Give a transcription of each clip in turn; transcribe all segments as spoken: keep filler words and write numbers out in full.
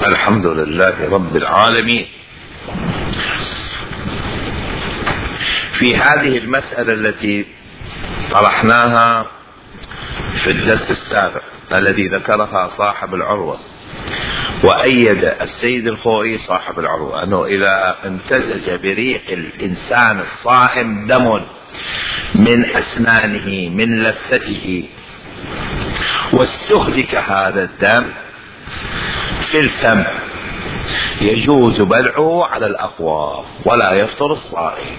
الحمد لله رب العالمين. في هذه المسألة التي طرحناها في الدرس السابق الذي ذكرها صاحب العروة، وأيد السيد الخوئي صاحب العروة أنه إذا امتزج بريق الإنسان الصائم دم من أسنانه من لثته واستهلك هذا الدم في الفم يجوز بلعه على الأقوى ولا يفطر الصائم.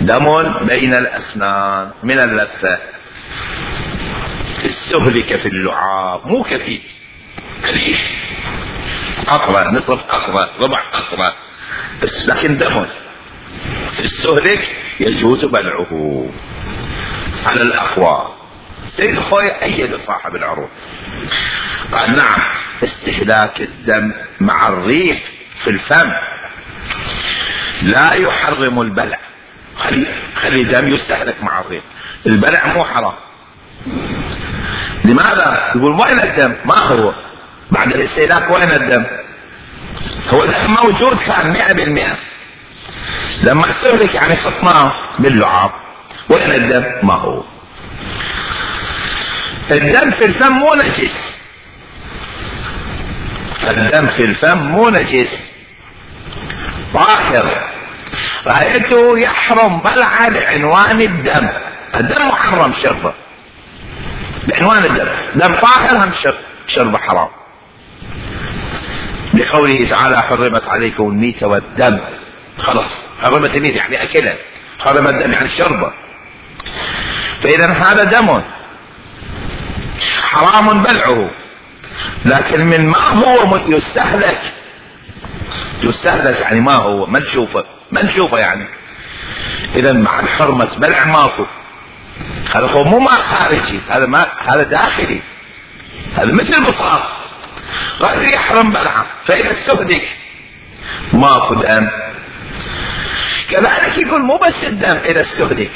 دم بين الأسنان من اللثة استهلك في اللعاب، مو كثير، قليل، قطرة، نصف قطرة، ربع قطرة بس، لكن دم استهلك يجوز بلعه على الأقوى. سيد الخوئي أيد صاحب العروض، قال نعم استهلاك الدم مع الريق في الفم لا يحرم البلع. خلي خلي الدم يستهلك مع الريق، البلع مو حرام. لماذا؟ يقول وين الدم؟ ما هو بعد الاستهلاك، وين الدم؟ هو الدم موجود كان مئة بالمئة، لما استهلك يعني خطناه باللعاب، وين الدم؟ ما هو. الدم في الفم مو نجس، الدم في الفم مو نجس، طاهر. رأيته يحرم بلعه لعنوان الدم، الدم محرم شربه بعنوان الدم، دم طاهر هم شربه حرام، لقوله تعالى حرمت عليكم الميتة والدم. خلاص حرمت الميتة يعني أكلها، حرمت الدم يعني شربه. فإذا هذا دم حرام بلعه، لكن من ما هو يستهلك، يستهلك يعني ما هو ما نشوفه ما نشوفه يعني. إذا مع حرمة بلع ماكو، هذا هو مو ما خارجي، هذا ما هذا داخلي، هذا مثل البصار غير يحرم بلعه. فإذا استهلك ماكو دم. كذلك يقول مو بس الدم، إذا استهلك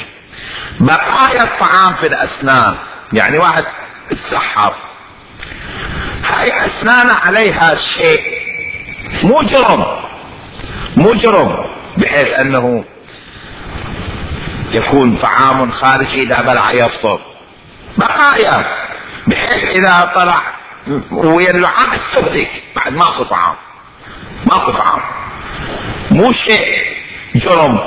بقايا الطعام في الأسنان، يعني واحد اتسحر هاي أسنانه عليها شيء مو جرم، مو جرم بحيث أنه يكون طعام خارجي إذا بلع يفطر، بقايا بحيث إذا طلع ويا اللعاب استهلك بعد ماكو طعام، ماكو طعام، مو شيء جرم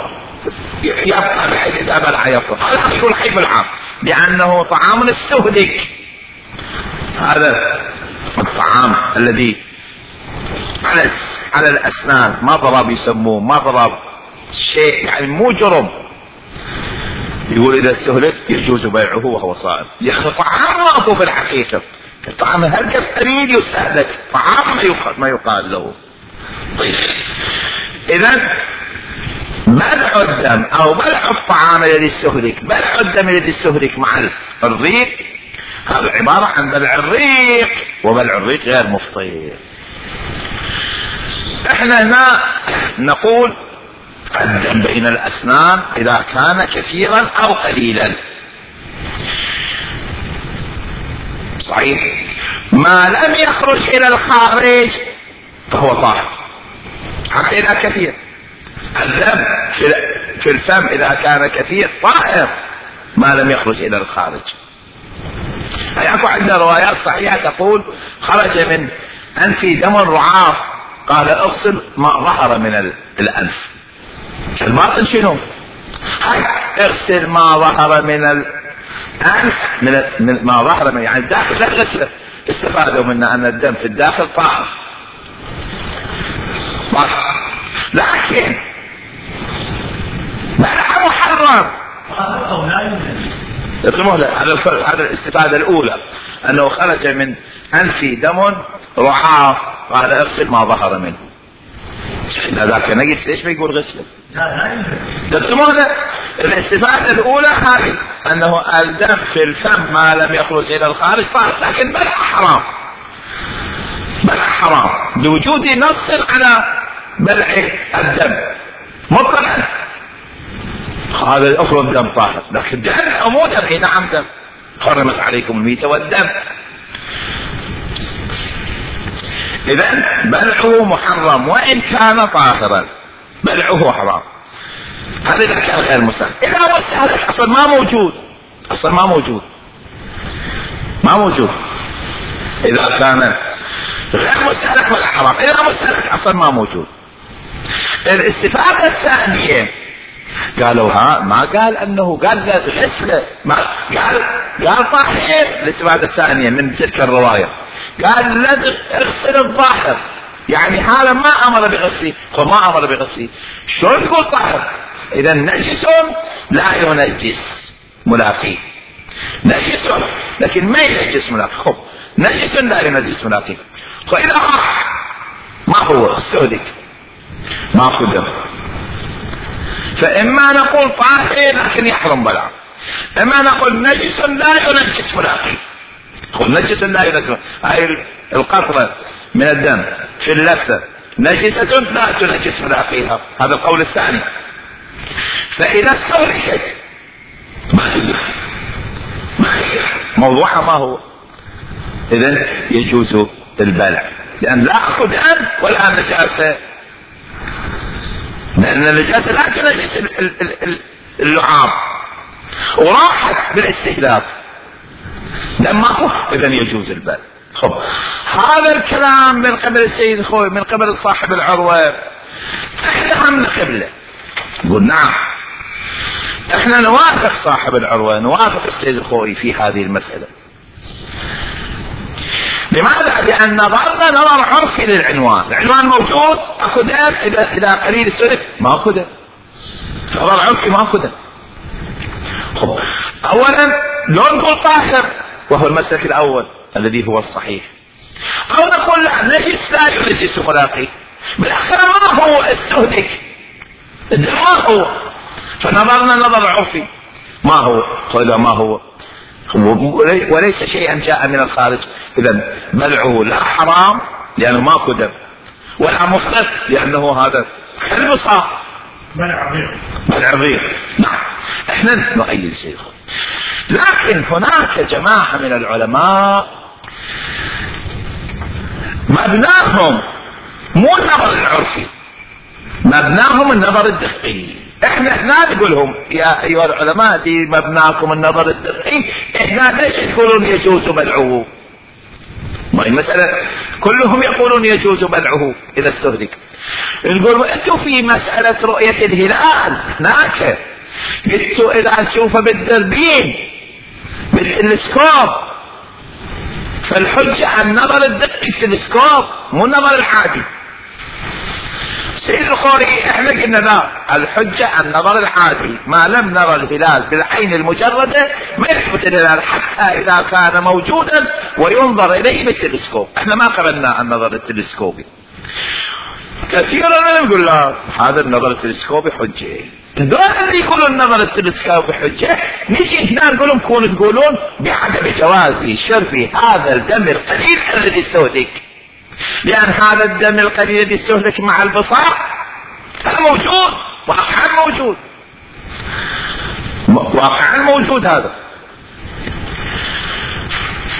يبقى بحيث إذا بلع يفطر. هذا يقول حيث العام لأنه طعام استهلك. هذا الطعام الذي على على الأسنان ما ضرب يسموه، ما ضرب شيء يعني مو جرم، يقول إذا استهلك يجوز بيعه وهو صائم. يعني طعام ماكو في الحقيقة، الطعام هلقة قليل يستهلك، طعام ما يقال ما يقال له. طيب إذا بلع الدم أو بلع الطعام الذي استهلك، بلع الدم الذي استهلك مع الريق، هذا عبارة عن بلع الريق، وبلع الريق غير مفطر. احنا هنا نقول الدم بين الأسنان إذا كان كثيرا أو قليلا صحيح، ما لم يخرج إلى الخارج فهو طاهر. حتى إذا كثير الدم في الفم إذا كان كثير طاهر ما لم يخرج إلى الخارج. يكون عندنا روايات صحيحة تقول خرج من أنفي دم رعاف، قال اغسل ما ظهر من الأنف. الباطن شنو؟ اغسل ما ظهر من الأنف، من, من ما ظهر من يعني الداخل لا تغسله. استفادوا منا أن الدم في الداخل طاهر، لكن بلع محرم. هذا الاستفادة الأولى أنه خرج من أنفي دم رعاف، قال اغسل ما ظهر منه. ذاك نجس ليش ما يقول غسله؟ تفهمون؟ الاستفادة الأولى هذه أنه الدم في الفم ما لم يخرج إلى الخارج طاهر، لكن بلع حرام، بلع حرام لوجود نص على بلع الدم مطلقا. هذا الأفضل دم طاهر، لكن دم أمو دم، نعم دم، حرمت عليكم الميتة والدم. اذا بلعه محرم وان كان طاهرا، بلعه حرام. هذا اذا كان غير مستهلك. اذا مستهلك اصلا ما موجود، اصلا ما موجود ما موجود اذا كان غير مستهلك ولا حرام. اذا مستهلك اصلا ما موجود. الاستفادة الثانية قالوا ها ما قال انه قال غسله، ما قال قال طاهر. الاستفادة الثانية من تلك الرواية قال لا اغسل الظاهر، يعني هذا ما امر بغسله، فما امر بغسله. شلون تقول طاهر؟ اذا نجس لا ينجس ملاقيه، نجس لكن ما ينجس ملاقيه. خب نجس لا ينجس ملاقيه، فاذا راح ما هو استهلك ما قدر، فاما نقول طاهر لكن يحرم بلع، اما نقول نجس لا ينجس ملاقيه. قل نجس لا ينجس، هاي القطرة من الدم في اللثة نجسة لا تنجس ملاقيها، هذا القول الثاني. فإذا استهلكت ما هي ما هي موضوعها ما هو، إذن يجوز البلع، لأن لا أخذ دم ولا نجاسة، لأن النجاسة لا تنجس اللعاب وراحت بالاستهلاك لما هو، إذن يجوز البلع. خب هذا الكلام من قبل السيد خوي، من قبل صاحب العروة، احنا هم قبله نقول نعم، احنا نوافق صاحب العروة، نوافق السيد الخوي في هذه المسألة. لماذا؟ لأن نظرنا نظر عرفي للعنوان، العنوان موجود اكو دم، اذا اذا قليل السلف ما اكو دم، نظر عرفي ما اكو دم. خب اولا لو نقول طاهر وهو المسلك الاول الذي هو الصحيح، او نقول لا نجس لا ينجس ملاقيه، بالاخير ما هو استهلك ما هو، فنظرنا نظر عرفي ما هو، قال ما هو وليس شيئا جاء من الخارج، اذا بلعه لا حرام لانه ماكو دم، ولا مفرط لانه هذا كالبصاق بلع غير بلع غير. نعم احنا نؤيد شيء، لكن هناك جماعة من العلماء مبناهم مو النظر العرفي، مبناهم النظر الدقي. احنا هنا نقولهم يا ايها العلماء دي مبناكم النظر الدقي، احنا ليش تقولون يجوز بلعه؟ ما المسألة كلهم يقولون يجوز بلعه اذا استهلك. نقول انتوا في مسألة رؤية الهلال هناك، انتوا اذا تشوفه بالدربين بالتلسكوب، فالحجة النظر الدقي التلسكوب مو النظر العادي. سيد الخوري احنا قلنا لا، الحجة النظر العادي، ما لم نرى الهلال بالعين المجردة ما يثبت الهلال حتى اذا كان موجودا وينظر اليه بالتلسكوب. احنا ما قبلنا النظر التلسكوبي، كثيرا نقول لا هذا النظر التلسكوبي حجة، دول اللي يقولون النظر التلسكوبي حجة نجي هنا نقول لهم كونوا تقولون بعدم جواز شرب هذا الدم القليل الذي استهلك، لأن هذا الدم القليل الذي استهلك مع البصاق هذا موجود واقعا موجود واقعا موجود هذا،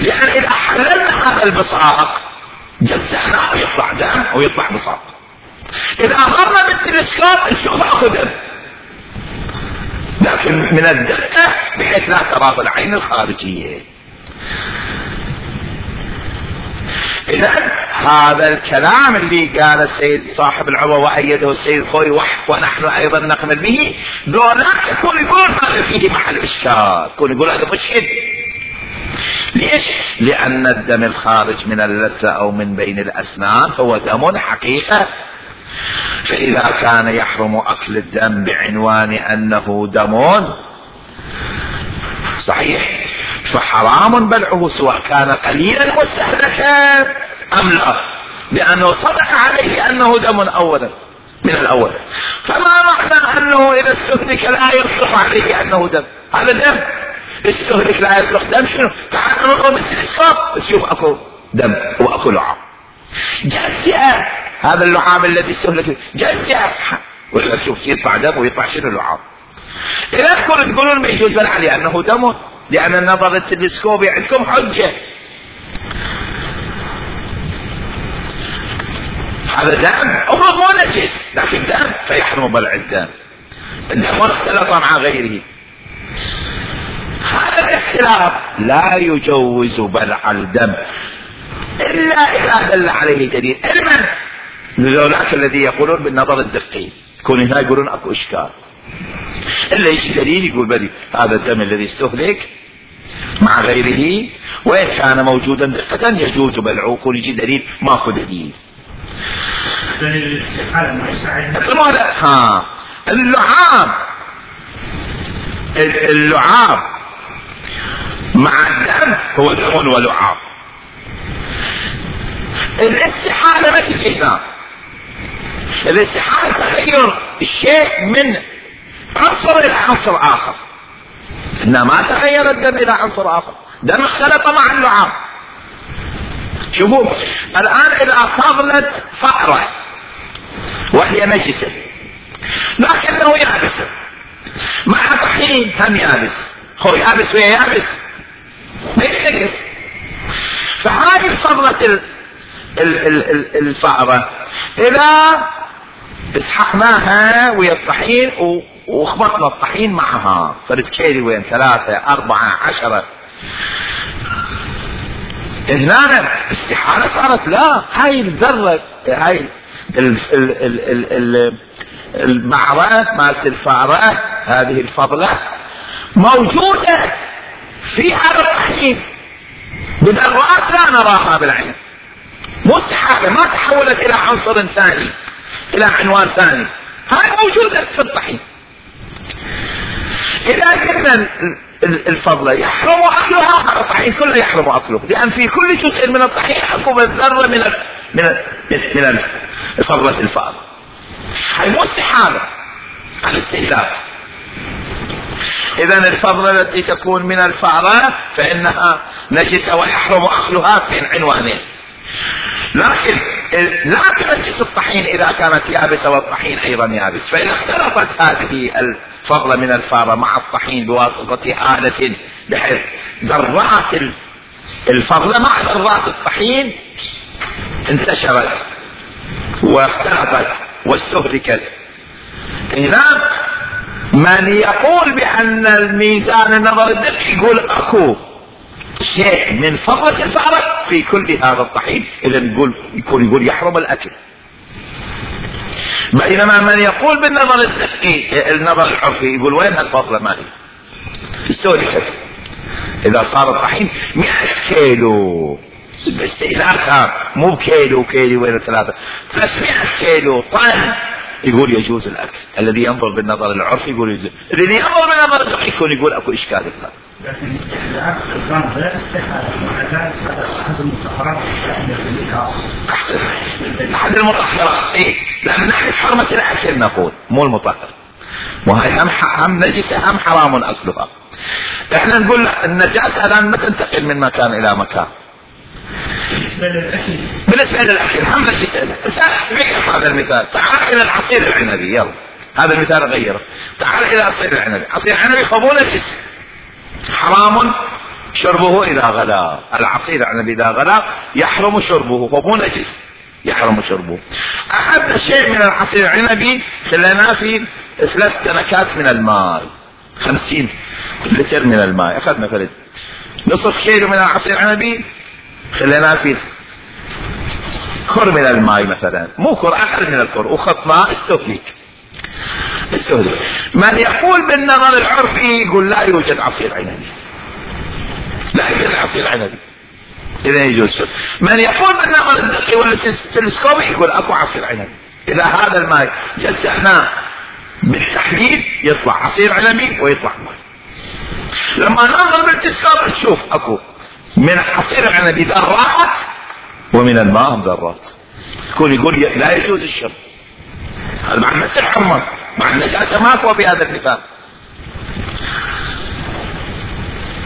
لأن إذا حللنا هذا البصاق جزعناه ويطلع دم ويطلع بصاق، إذا أمرنا بالتلسكوب نشوف أخذ دم، لكن من الدقة بحيث لا ترى العين الخارجية. إذا هذا الكلام اللي قال السيد صاحب العروة وأيده السيد خوي ونحن أيضا نقبل به، لو لا يكون يقول هذا فيه محل إشكال، يكون يقول هذا مشكل. ليش؟ لأن الدم الخارج من اللثة أو من بين الأسنان هو دم حقيقة، فإذا كان يحرم أكل الدم بعنوان أنه دم صحيح فحرام بلعه سواء كان قليلا مستهلكا أم لا، لأنه صدق عليه أنه دم أولا من الأول، فما معنى أنه إذا استهلك لا يصلح عليه أنه دم؟ هذا دم استهلك لا يصلح دم، شنو؟ تعال نقوم بالتلسكوب تشوف أكو دم وأكو لعاب، جزء هذا اللعاب الذي استهلك جزء، ولا شوف يطلع دم ويطلع شنو اللعاب. إذا تكونوا تقولون ما يجوز بلع لأنه دم، لأن النظر التلسكوبي عندكم حجة. هذا دم افرض مو نجس لكن دم فيحرم بلع الدم. الدم اختلط مع غيره. هذا الاختلاف لا يجوز بلع الدم الا اذا دل عليه دليل علما لذولاك الذي يقولون بالنظر الدقيق، يكون هنا يقولون اكو اشكال، الا يجي دليل يقول بدي هذا الدم الذي استهلك مع غيره وإن كان موجودا دقة يجوز بلعه، يكون يجي دليل ماكو دليل. دليل الاستحالة ما يساعد. ها اللعاب اللعاب مع الدم هو دم ولعاب. الاستحالة ما تجي هنا. الاستحالة تغير الشيء من عنصر الى عنصر اخر، انما ما تغير الدم الى عنصر اخر، دم اختلط مع اللعاب. شوفوا الان اذا فضلت فأرة وهي نجسة لكنه يابس مع طحين هم يابس، هو يابس ويا يابس ما يتنجس، فهذه فضلة الفأرة اذا اسحقناها ويا الطحين وخبطنا الطحين معها فرد كيلي وين ثلاثة أربعة عشرة، هنا استحالة صارت. لا هاي الذرة هاي البعرة مالت الفأرة هذه الفضلة موجودة في هذا الطحين بذرات لا نراها بالعين، مو استحالة ما تحولت إلى عنصر ثاني إلى عنوان ثاني، هاي موجودة في الطحين. إذا كنا الفضلة يحرم أكلها هذا الطحين كله يحرم أكله، لأن في كل جزء من الطحين حكم الذرة من من من فضلة الفأرة. هاي مو استحالة على استهلاك. إذا الفضلة التي تكون من الفأرة فإنها نجسة ويحرم أكلها في عنوانين، لكن لا تنجس الطحين إذا كانت يابسة والطحين أيضا يابس. فإن اختلطت هذه الفضلة من الفأرة مع الطحين بواسطة آلة بحيث ذرات الفضلة مع ذرات الطحين انتشرت واختلطت واستهلكت، هنا من يقول بأن الميزان النظر الدقيق يقول أكو شيء من فضلة الفأرة في كل هذا الطحين، إذا نقول يكون يقول يحرم الأكل. بينما من يقول بالنظر الدقيق النظر العرفي يقول وين الفضلة مالي استهلكت. إذا صار الطحين مئة كيلو باستهلاكها مو بكيلو كيلو وين ثلاثة ثلاثمائة كيلو طن يقول يجوز الأكل. الذي ينظر بالنظر العرفي يقول يجوز، الذي ينظر بالنظر الدقيق يكون يقول أكو إشكال هنا. لكن الاستحالة الغامض لا استحالة أحد المطهرات أحد المطهرات إيه، لأن نحن حرمة الأكل نقول مو المطهر، وهي هم هم نجسة هم حرام أكلها. إحنا نقول النجاسة الآن ما تنتقل من مكان إلى مكان. بالنسبة للأكل بالنسبة للأكل هم نجسة. غير هذا المثال، تعال إلى العصير العنبي، يلا هذا المثال غيره. تعال إلى عصير العنبي، عصير العنبي فمو نجس حرام شربه إذا غلا، العصير العنبي إذا غلا يحرم شربه فمو نجس يحرم شربه. أخذنا شيء من العصير العنبي خليناه في ثلاث تنكات من الماء، خمسين لتر من الماء، أخذنا فرد نصف كيلو من العصير العنبي خليناه في كر من الماء مثلا، مو كر أقل من الكر، وخطناه استهلك استهلك. من يقول بالنظر العرفي يقول لا يوجد عصير عنبي، لا يوجد عصير عنبي إذا يجوز. من يقول بالنظر الدقيق والتلسكوبي يقول أكو عصير عنبي. إذا هذا الماء جسحناه بالتحليل يطلع عصير عنبي ويطلع ماء. لما ننظر بالتلسكوب نشوف أكو من عصير العنبي ذرات ومن الماء ذرات، يكون يقول لا يجوز الشرب. هذا مع المس الحرمة مع النجاسة ما هو في هذا المثال،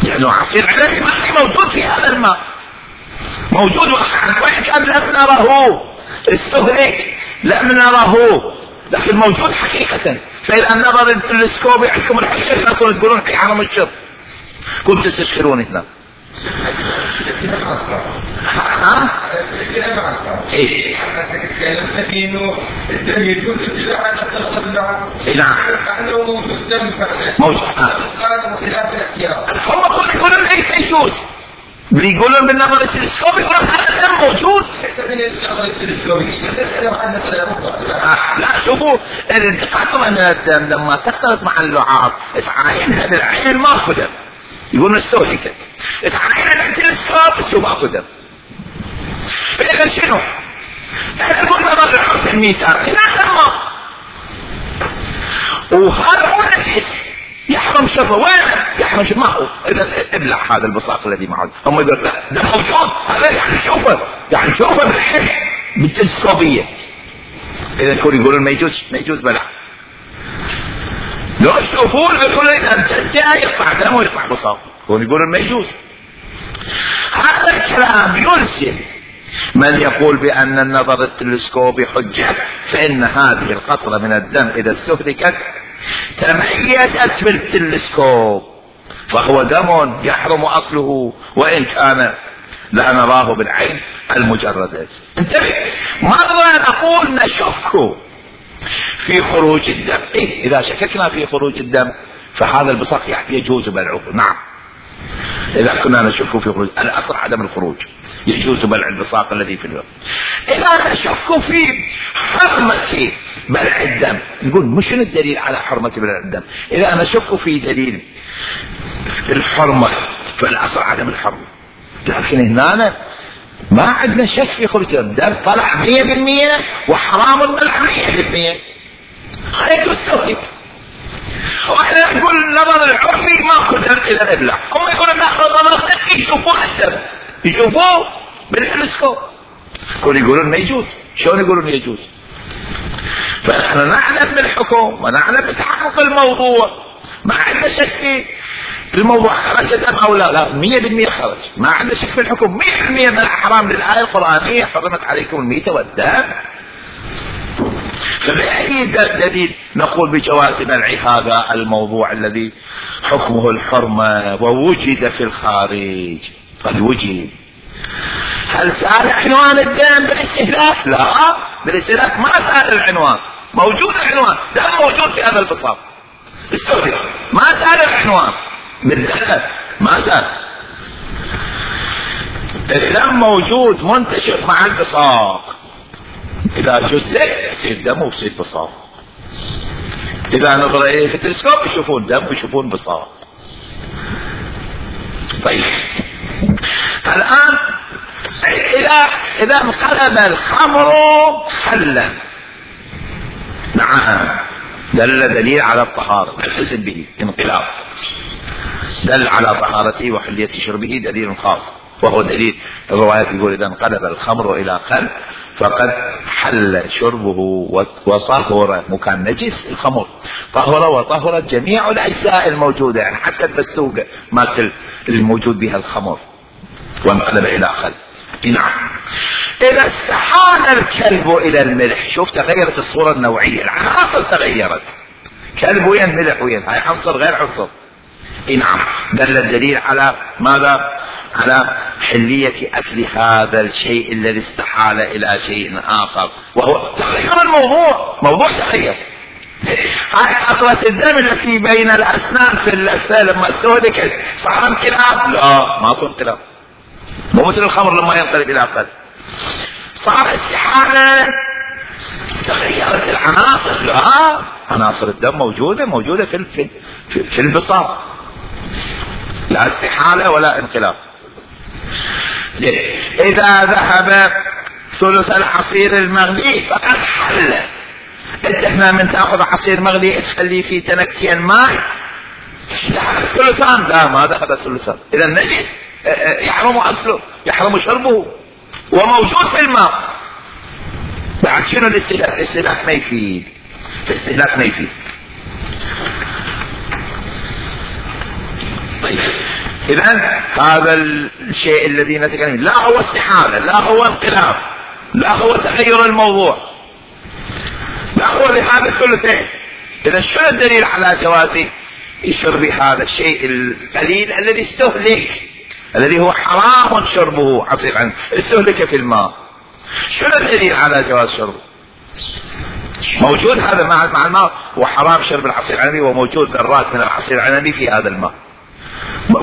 يعني عصير عنبي ما موجود في هذا الماء، موجود وإن كان لم نره استهلك لم نره لكن موجود حقيقة. فإذا النظر التلسكوبي عندكم الحجة لا تقولون في حرم الشرب، كنتم تستشكرون هنا ها؟ ايه نعم موجود. هم كل يقولون ليس يجوز، بيقولون بالنظر التلسكوبي يقولون هذا الدم موجود. لا شوفوا القطرة من الدم لما تختلط مع اللعاب تعاينها بالعين الماكو دم، يقولون السوري كده تعاينها بالتلسكوب تشوف اكو دم. فإذا شنو؟ احنا نقول نظر الحرف الميثاق لا دم، وهذا هو نفس يحرم شربه. وين يحرم شربه؟ ما هو اذا ابلع هذا البصاق الذي معه. هم يقول لا ده موجود، هذا يعني شوفه يعني شوفه بالحين بالتلسكوبيه. اذا يكون يقولون ما يجوز ما يجوز بلع. لو يشوفون يقولون اذا جاء يقطع دم ويقطع بصاق، يقولون ما يجوز. هذا الكلام يلزم من يقول بأن النظر التلسكوبي حجة، فإن هذه القطرة من الدم إذا استهلكت تميزت بالتلسكوب فهو دم يحرم أكله وإن كان لا نراه بالعين المجردة. انتبه، مرة نقول نشك في خروج الدم. إيه؟ إذا شككنا في خروج الدم فهذا البصاق يجوز بلعه. نعم، إذا كنا نشك في خروج، الأصل عدم الخروج، يجوز بلع البصاق الذي في الفم. إذا نشك في حرمة بلع الدم نقول مش الدليل على حرمة بلع الدم. إذا نشك في دليل الحرمة فالأصل عدم الحرمة، لكن هنا ما عندنا شك في خروج الدم، طلع مية بالمية وحرام البلع مية بالمية، خليت السويت. واحنا نقول النظر العرفي ماكو دم الى الابلع، هم يقولون ناخذ نظر الدم يشوفون الدم يشوفوه بالتلسكوب، يقولون ما يجوز. شلون يقولون يجوز؟ فنحن نعلم بالحكم ونعلم بتحقق الموضوع، ما عندنا شك في الموضوع خرج دم او لا، لا مية بالمية خرج، ما عندنا شك في الحكم مية بالمية من الحرام للآية القرآنية حرمت عليكم الميتة والدم. فبأي دليل نقول بجواز بلع هذا الموضوع الذي حكمه الحرمة ووجد في الخارج؟ قد وجد. هل سأل عنوان الدم بالاستهلاك؟ لا، بالاستهلاك ما سأل العنوان، موجود العنوان، دم موجود في هذا البصاق استهلك، ما سأل العنوان بالدم، ما سأل. الدم موجود منتشر مع البصاق، إذا جزء يصير دم ويصير بصاق. إذا نظر إليه في التلسكوب يشوفون دم ويشوفون بصاق. طيب الآن إذا إذا انقلب الخمر خلا، نعم دل دليل على الطهارة، نحسب به انقلاب، دل على طهارته وحلية شربه دليل خاص، وهو دليل الروايات يقول إذا انقلب الخمر إلى خل فقد حل شربه وطهر. مكان نجس الخمر طهر وطهرت جميع الأجزاء الموجودة، يعني حتى البسوقة ماكل الموجود بها الخمر وانقلب إلى خل. نعم، إذا استحال الكلب إلى الملح، شوف تغيرت الصورة النوعية، العناصر تغيرت، كلب وين ملح وين، هاي عنصر غير عنصر. نعم، دل الدليل على ماذا؟ على حلية أكل هذا الشيء الذي استحال إلى شيء آخر، وهو تغير الموضوع، موضوع تغير. هاي قطرة الدم التي بين الأسنان في اللثة لما استهلكت صار انقلاب؟ لا، ما كان انقلاب، مو مثل الخمر لما ينقلب إلى قلب، صار استحالة، تغيرت العناصر. لا، عناصر الدم موجودة موجودة في في في البصاق، لا استحالة ولا انقلاب. إذا ذهب ثلث العصير المغلي فقد حل. انت هنا من تأخذ عصير مغلي تخليه في تنكتين ماء ذهب ثلثان، لا ما ذهب ثلثان، إذا النجس يحرم أكله يحرم شربه وموجود في الماء. بعد شنو الاستهلاك؟ الاستهلاك ما يفيد، الاستهلاك ما يفيد. طيب إذا هذا الشيء الذي نتكلم لا هو استحالة، لا هو انقلاب، لا هو تغير الموضوع، لا هو لهذا الثلثين. إذا شنو الدليل على جواز شرب هذا الشيء القليل الذي استهلك الذي هو حرام شربه عصير عنب استهلك في الماء، شنو الدليل على جواز شربه؟ موجود هذا مع مع الماء، وحرام شرب العصير العنبي وموجود ذرات من العصير العنبي في هذا الماء،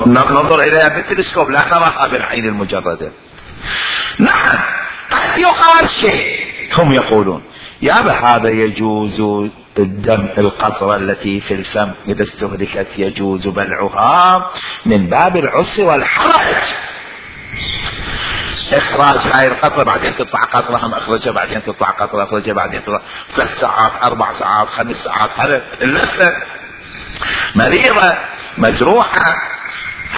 ننظر اليها بالتلسكوب لا نراها بالعين المجردة. نعم قد يقال شيء، هم يقولون يا أبا هذا يجوز الدم القطرة التي في الفم إذا استهلكت يجوز بلعها من باب العسر والحرج، إخراج هاي القطرة بعدين تطلع قطرة هم أخرجها بعدين تطلع قطرة أخرجها بعدين تطلع ثلاث ساعات أربع ساعات خمس ساعات، هذا اللفة مريضة مجروحة،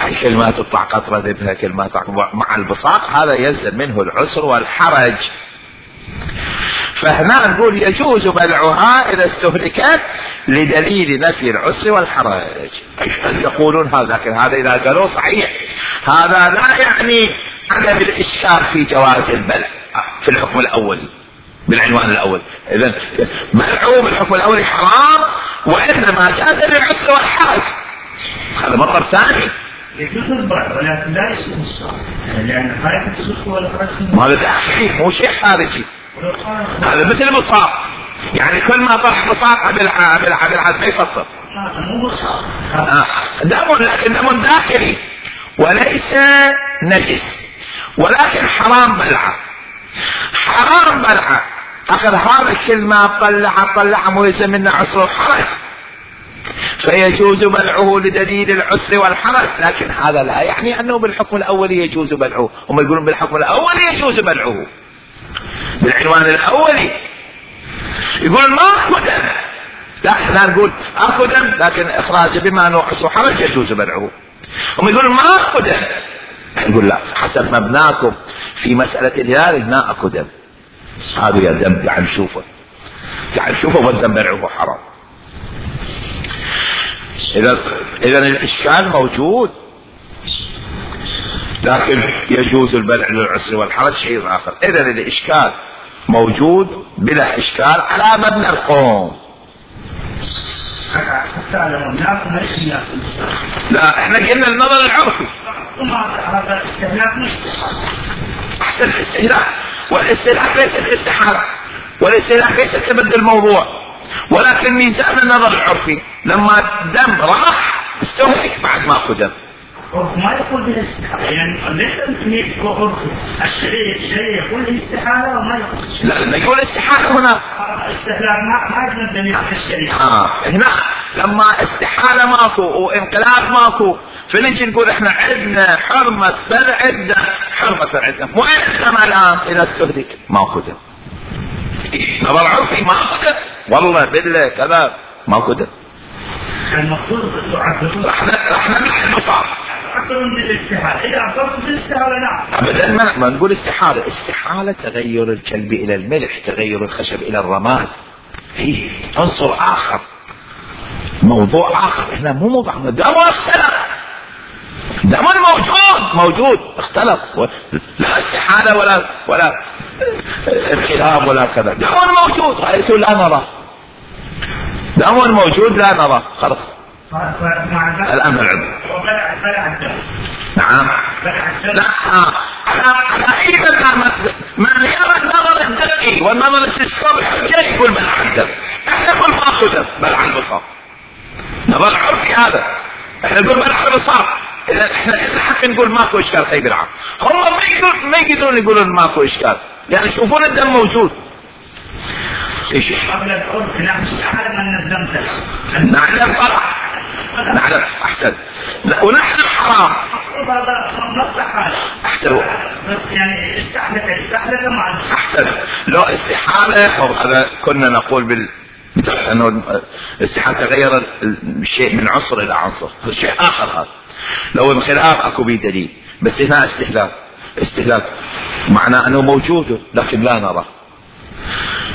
هاي كل ما تطلع قطرة ذبها كل ما تطلع مع البصاق، هذا يلزم منه العسر والحرج. فهنا نقول يجوز بلعها إذا استهلكت لدليل نفي العسر والحرج. يقولون هذا، لكن هذا إذا قالوا صحيح هذا لا يعني عدم الإشكال في جواز البلع في الحكم الأول بالعنوان الأول. إذن بلعه بالحكم الأول حرام، وإنما جاز للعسر والحرج، هذا مطلب ثاني. يجوز البلع ولكن لا يسمى الصار، لأن خارج السلك ولا خارج هذا داخلي مو شيء خارجي، هذا مثل المصاب، يعني كل ما طرح مصاب بلعه بلعه بلعه ما يفطر، دم لكن دم داخلي وليس نجس، ولكن حرام بلعه، حرام بلعه اخر هذا كل ما طلع طلع مو يلزم منه عسر وحرج، فيجوز بلعه لدليل العسر والحرج، لكن هذا لا يعني انه بالحكم الاولي يجوز بلعه، هم يقولون بالحكم الاولي يجوز بلعه بالعنوان الاولي، يقول ما اكو دم، لا احنا نقول اكو دم لكن اخراجه بما انه عسر وحرج يجوز بلعه، هم يقولون ما اكو دم، نقول لا حسب مبناكم في مسألة الهلال ما اكو دم، هذا يا دم تعال نشوفه تعال نشوفه والدم بلعه حرام. اذا اذا الاشكال موجود، لكن يجوز البلع للعسر والحرج شيء اخر. اذا الاشكال موجود بلا اشكال على مبنى القوم. لا احنا قلنا النظر العرفي احسن الاستهلاك، والاستهلاك ليست استحالة، والاستهلاك ليست تبدل الموضوع، ولكن ميزان النظر العرفي لما الدم راح استهلك بعد ما اخذ دم. عرف ما يقول بالاستحالة، يعني ليس يمكن عرف الشريعة الشريعة يقول الاستحالة وما يقول لا لا يقول استحالة هنا استحلال ما ما يقدر دليل في الشريعة. اه هنا لما استحالة ماكو وانقلاب ماكو، فنجي نقول احنا عندنا حرمة بلع الدم، حرمة بلع الدم، وين الدم الان اذا استهلك ماكو دم؟ نظر عرفي ماكو دم، والله بالله كذا ماكو دم. المفروض تعبدون احنا احنا بالمصاب تعبدون بالاستحالة، اذا عبرت بالاستحالة نعم ابدا ما, ما نقول استحالة، استحالة تغير الكلب الى الملح، تغير الخشب الى الرماد، هي عنصر اخر موضوع اخر، احنا مو موضوع دم اختلف، دم موجود موجود اختلف، لا استحالة ولا ولا انقلاب ولا كذا، دم موجود حيث لا نرى، دم موجود لا نرى خلاص. الآن العلم نعم لا على أي مكان من يرى النظر الدقي والنظر الصبح جاي يقول بلع الدم، احنا نقول ما اخذ دم بلع البصار، نظر عرفي هذا، احنا نقول بلع البصار، احنا حتى نقول ماكو اشكال خيب العام، هم ما يقدرون ما يقدرون يقولون ماكو اشكال، يعني يشوفون الدم موجود. ايش قبل العرف نحن نعلم ان الدم نعلم طلع نعلم احسن ونحن حرام احسن بس يعني استحلت استحلت مع احسن لو استحالة هذا كنا نقول بال انه الاستحالة تغير الشيء من عنصر الى عنصر، شيء اخر هذا، لو انخلاف اكو به دليل، بس هنا استهلاك استهلاك معناه انه موجود لكن لا نرى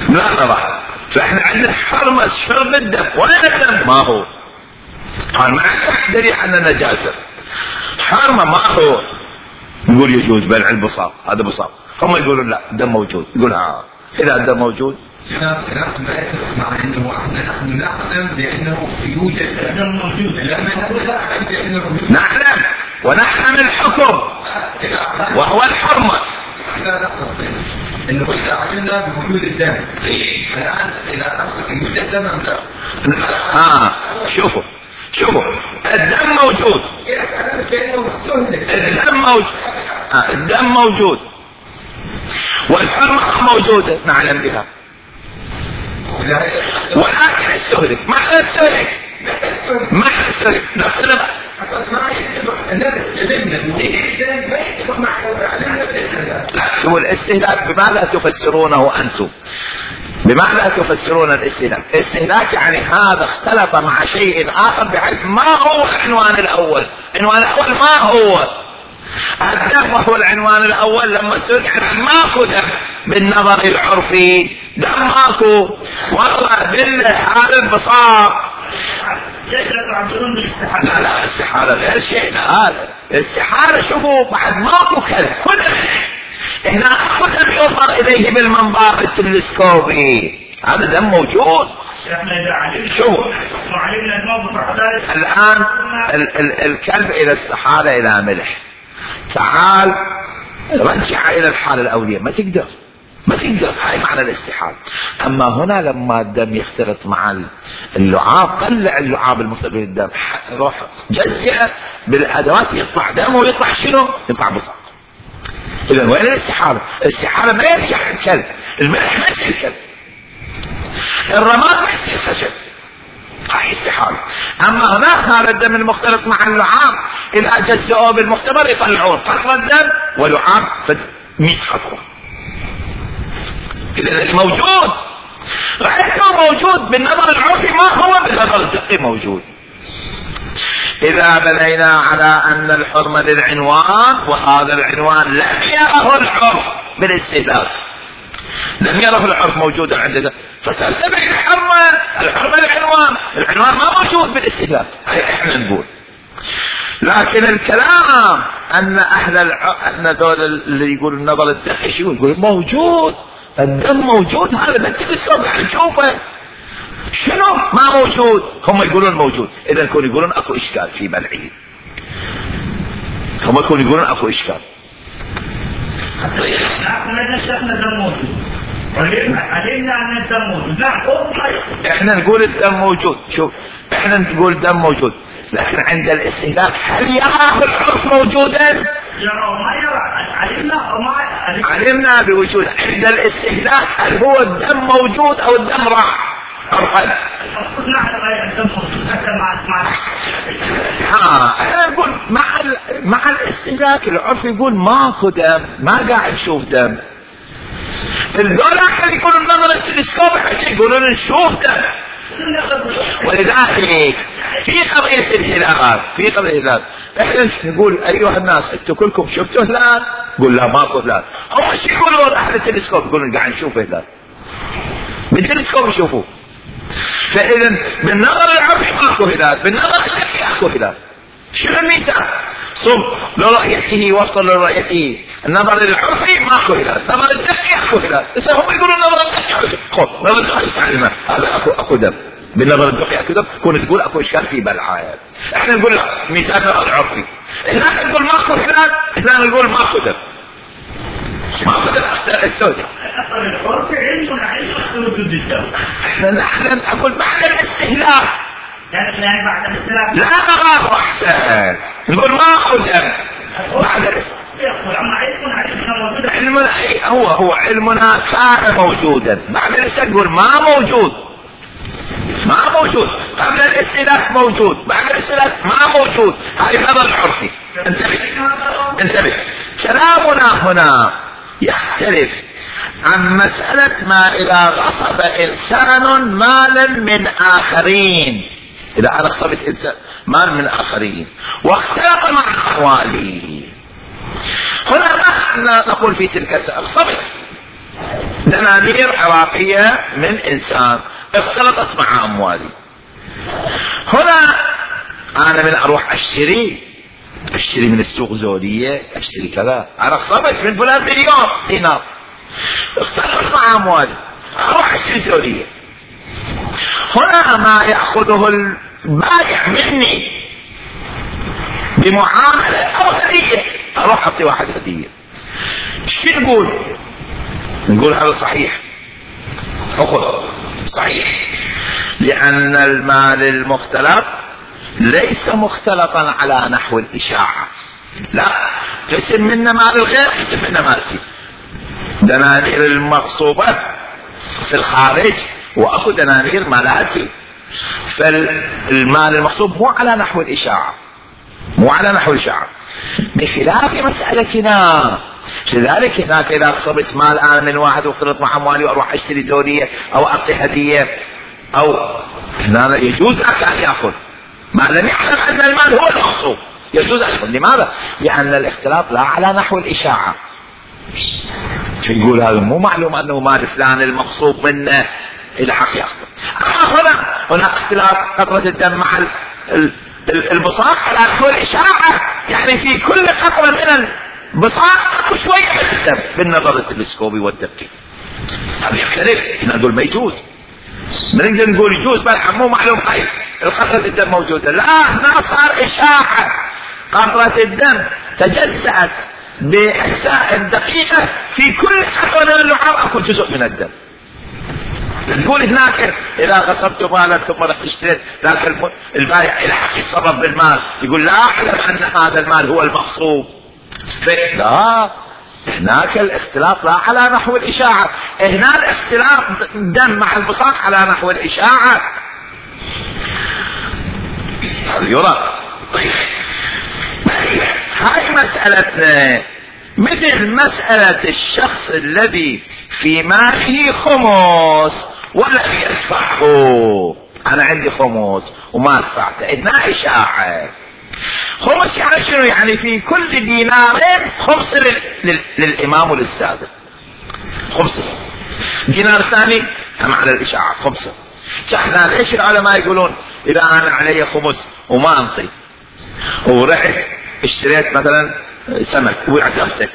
لا نرى، فاحنا عندنا حرمة شرب الدم، وين الدم؟ ما هو قال ما دليل على النجاسة، حرمة ما هو، نقول يجوز بلع البصار، هذا بصار، هم يقولون لا الدم موجود، يقول ها اذا الدم موجود خلاف ما يتفق مع انه احنا نحن نعلم بانه يوجد دم موجود، لا نعلم نعلم ونحن الحكم وهو الحرمة. انه اذا علمنا بوجود الدم الان اذا امسك يوجد الدم ام لا؟ اه شوفوا شوفوا الدم موجود، الدم موجود آه الدم موجود والحرمة موجودة نعلم بها، ولكن السهلك ما احنا السهلك ما احنا السهلك نختلف. لا شوفوا الاستهلاك بماذا تفسرونه انتم؟ بماذا تفسرون الاستهلاك؟ الاستهلاك يعني هذا اختلط مع شيء اخر بحيث ما هو العنوان الاول. العنوان الاول ما هو الدم وهو العنوان الاول. لما سئل عن ماكو دم بالنظر العرفي، دم ماكو والله بالحال البصار. لا لا استحالة غير شيء. هذا استحالة. شوفوا بعد ماكو كذا كل هنا اخذ ينظر اليه بالمنظار التلسكوبي، هذا دم موجود. شوف الان ال ال الكلب اذا استحال الى ملح، تعال رجع الى الحالة الاولية، ما تقدر ما تقدر. هاي معنى الاستحال. اما هنا لما الدم يختلط مع اللعاب، طلع اللعاب المختلط بالدم، روح جزئه بالادوات يطلع دم ويطلع شنو؟ يطلع بصق. اذا وين الاستحالة؟ الاستحالة ما يرجع الكلب، الملح ما يصير كلب، الرماد ما يصير خشب، هاي استحالة. اما هناك هذا الدم المختلط مع اللعاب اذا جزئوه بالمختبر يطلعون قطرة الدم ولعاب فد مئة خطوة. اذا الموجود رأيته موجود بالنظر العرفي، ما هو بالنظر الدقي موجود. اذا بنينا على ان الحرمة للعنوان، وهذا العنوان لم يره العرف بالاستهلاك، لم يره العرف موجودا عندنا، فترتبع الحرمة. الحرمة العنوان، العنوان ما موجود بالاستهلاك، احنا نقول. لكن الكلام ان اهل الع... ان ذول اللي يقولوا النظر الدقي شو يقول موجود، الدم موجود، هذا بالتلسكوب نشوفه. شنو ما موجود؟ هم يقولون موجود. اذا يكونوا يقولون اكو اشكال في بلعه، هم يكونوا يقولون اكو اشكال. احنا نقول الدم موجود. شوف احنا نقول الدم موجود، لكن عند الاستهلاك هل يراه العرف موجودا؟ علمنا بوجود. عند الاستهلاك هل هو الدم موجود او الدم راح عرفا؟ ها احنا نقول مع مع الاستهلاك العرف يقول ماكو دم، ما قاعد نشوف دم. الذولا يقولون نظر التلسكوب يقولون نشوف دم. ولذلك في قضية الهلال، في قضية الهلال احنا نقول ايها الناس انتم كلكم شفتوا هلال؟ قول لا ماكو هلال. هم شو يقولون اهل التلسكوب؟ يقولون قاعد نشوف هلال بالتلسكوب يشوفوه. فاذا بالنظر العرفي ماكو هلال، بالنظر الدقي اكو هلال. شنو الميزان؟ صب لو رؤيته وصل لرؤيته. النظر العرفي ماكو هلال، النظر الدقي اكو هلال. بس هم يقولون النظر الدقي خذ نظر الدقي تعلمه هذا اكو اكو دم، بالنظر الدقي اكو دم. كون تقول اكو اشكال في بلعه، احنا نقول ميزان النظر العرفي، هناك نقول ماكو هلال، احنا نقول ماكو دم. ماكو دم السوداء. نحن اقول معنى الاستهلاك يعني بعد الاستهلاك لا مغاض احسن نقول ما اخذ بعد علمنا هو هو علمنا كان موجودا، بعد الاستهلاك نقول ما موجود، ما موجود. قبل الاستهلاك موجود، بعد الاستهلاك ما موجود. هذه نظر العرفي. انتبه انتبه. كلامنا هنا يختلف عن مسألة ما إذا غصب إنسان مالا من آخرين، إذا أنا غصبت إنسان مال من آخرين واختلط مع أمواله. هنا ما نقول في تلك السنة غصبت دنانير عراقية من إنسان اختلطت مع أموالي. هنا أنا من أروح أشتري أشتري من السوق زولية، أشتري كذا، أنا غصبت من فلان مليون دينار اختلط مع أموالي، أروح أشتري زولية. هنا ما يأخذه البائع مني بمعاملة او هدية، اروح اعطي واحد هدية. شو نقول؟ نقول هذا صحيح، اخذ صحيح، لان المال المختلط ليس مختلطا على نحو الاشاعة. لا، قسم منا مال الغير، قسم منا مالتي. دنانير المغصوبة في الخارج واكو دنانير مالاتي، فالمال المغصوب مو على نحو الاشاعة، مو على نحو الاشاعة، بخلاف مسألتنا. لذلك هناك اذا اغصبت مال انا من واحد واختلط مع اموالي واروح اشتري زورية او اعطي هدية، او هنا يجوز لك ان ياخذ ما لم يعلم ان المال هو المغصوب، يجوز ان ياخذ. لماذا؟ لان الاختلاط لا على نحو الاشاعة. شو يقول هذا؟ مو معلوم انه مال فلان المغصوب منه الى حق ياخذ. اما هنا هناك اختلاط قطرة الدم مع البصاق على نحو الاشاعة، يعني في كل قطرة من البصاق اكو شوية من الدم بالنظر التلسكوبي والدقيق. هذا يختلف. احنا نقول ما يجوز، ما نقدر نقول يجوز، بل مو معلوم هاي القطرة الدم موجودة. لا، هنا صار اشاعة، قطرة الدم تجزأت بأجزاء دقيقة، في كل قطرة من اللعاب اكو جزء من الدم. نقول هناك اذا غصبت مالك ثم رحت اشتريت، لكن البائع الى حق يتصرف بالمال، يقول لا اعلم ان هذا المال هو المغصوب. لا، هناك الاختلاط لا على نحو الاشاعة. هنا الاختلاط دم مع البصاق على نحو الاشاعة. يرى. طيب هاي مسألتنا، مثل مسألة الشخص الذي في ماله خمس ولم يدفعه. انا عندي خمس وما دفعته، هنا اشاعة. خمس يعني شنو؟ يعني في كل دينارين خمس لل... لل... للامام وللسادة، خمسة. دينار ثاني هم على الاشاعة خمسة. احنا ليش العلماء يقولون اذا انا علي خمس وما انطي ورحت اشتريت مثلا سمك وعزمتك،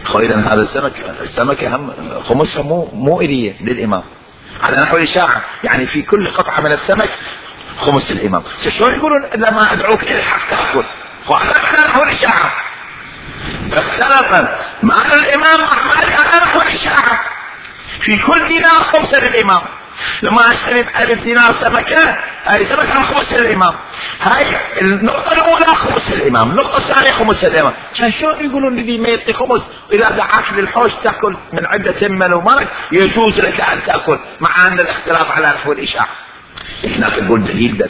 خيرا هذا السمك السمك هم خمسها مو مو اليه للامام على نحو الاشاعة، يعني في كل قطعة من السمك خمس الامام. شلون يقولون لما ادعوك الى الحق تاكل؟ على نحو الاشاعة. اختلط مع الامام احمد على نحو الاشاعة، في كل دينار خمسة للامام. لما اشتري بألف دينار سمكة، هاي سمكة عن خمس الامام. هاي النقطة الاولى خمس الامام، النقطة الثانية خمس الامام. كان شو يقولون لي ما يعطي خمس، واذا دعاك للحوش تاكل من عدة من ومالك يجوز لك ان تاكل، مع ان الاختلاف على نحو الاشاعة. هناك تقول دليل ده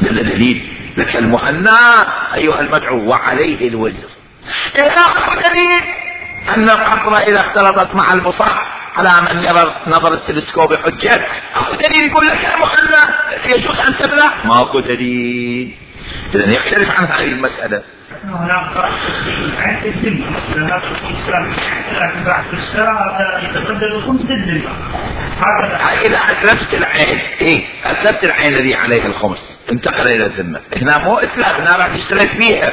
دل دليل لك المهنا ايها المدعو وعليه الوزر. اخر دليل ان القطرة اذا اختلطت مع البصاق على من يرى نظر التلسكوب حجة. اكو دليل يقول لك يا مهنا يجوز ان تبلع؟ ماكو دليل. اذا يختلف عن هذه المسألة. هناك عند الذمة، هناك الإسلام لكن بعد الإسلام يتقدر الخمس للذمة. إذا أتلفت العين، إيه أتلفت العين الذي عليها الخمس انتقل إلى الذمة. هنا مو إتلاف، هنا راح اشتريت فيها.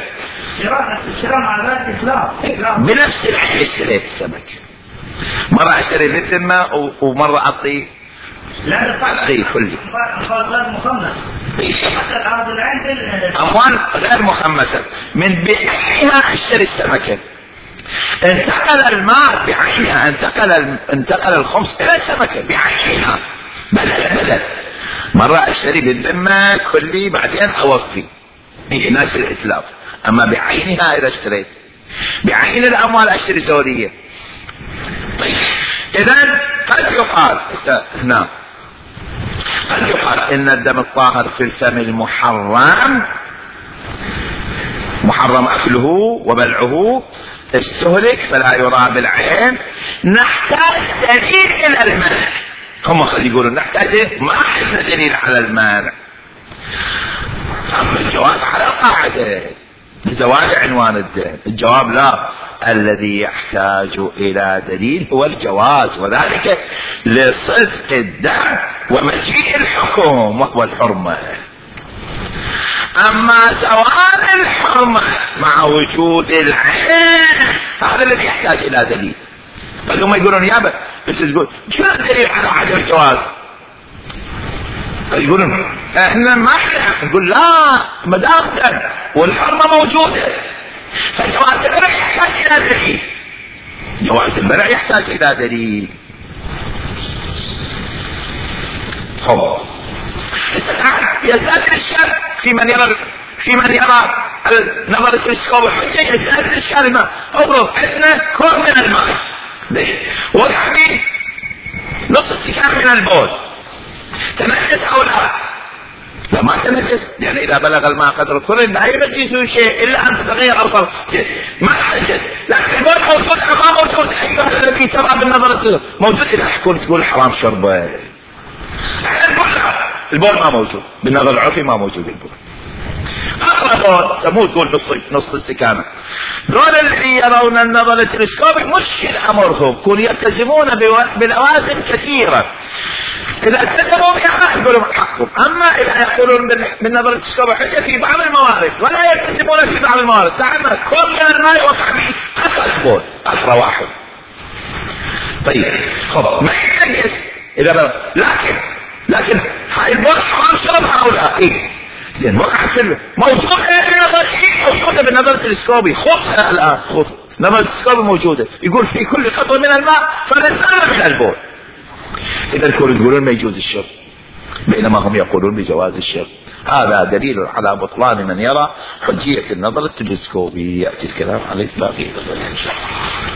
الشراء على ذات إتلاف. بنفس العين اشتريت السمك. مرة اشتري للذمة ومرة أعطي لا أعطي كلي. غير مخمس. أموال غير مخمسة من بعينها اشتري السمكة. انتقل المال بعينها، انتقل انتقل الخمس إلى السمكة بعينها بدل بدل. مرة اشتري للذمة كلي بعدين أوفي، هي ناس الإتلاف. أما بعينها إذا اشتريت بعين الأموال اشتري زورية. طيب إذن قد يقال هنا قد يقال إن الدم الطاهر في الفم المحرم محرم أكله وبلعه استهلك فلا يرى بالعين، نحتاج دليل إلى المنع. هم خلي يقولون نحتاج، ما عندنا دليل على المانع. أما الجواز على القاعدة لزواج عنوان الدين، الجواب لا، الذي يحتاج إلى دليل هو الجواز، وذلك لصدق الدم ومجيء الحكم وهو الحرمة. أما زوال الحرمة مع وجود العين هذا الذي يحتاج إلى دليل. فهم يقولون يابا بس تقول شو الدليل على عدم الجواز؟ يقولون احنا ما احنا نقول لا مدام والحرمة موجودة، فجواز البرع يحتاج الى دليل، جواز البرع يحتاج الى دليل. خب يزداد الشر في من يرى في من يرى النظر التلسكوبي حجة، يزداد الشر ما اضرب عندنا كوب من الماء وقع نص استكان من البول، تنجس او لا؟ لا ما تنجس، يعني اذا بلغ الماء قدر الطهر لا ينجسه شيء الا ان تتغير اوصاف، ما تنجس، لكن البول موجود ما موجود. ايها الذي ترى بالنظر التلسكوبي موجود، اذا تكون تقول حرام شربه، البول ما موجود بالنظر العرفي، ما موجود البول. اقرا سموه تقول نص نص استكانه. دول اللي يرون النظر التلسكوبي مشكل امرهم، يكون يلتزمون بلوازم كثيره، اذا التزموا بها يقولون حقهم. اما اذا يقولون بالنظر التلسكوبي حجه في بعض الموارد ولا يلتزمون في بعض الموارد، تعمل كل من الماء وقع به قطره بول، قطره واحد. طيب خب ما ينجس اذا بل... لكن لكن هاي البول حرام شربها او لا؟ ايه زين وقع في موجود موجوده بالنظر التلسكوبي، خذها الان، خذ النظر التلسكوبي موجوده، يقول في كل قطره من الماء فنزلنا من البول. اذا الكل يقولون ما يجوز الشرب بينما هم يقولون بجواز الشرب. هذا دليل على بطلان من يرى حجيه النظر التلسكوبي. ياتي الكلام عليه باقي ان شاء الله.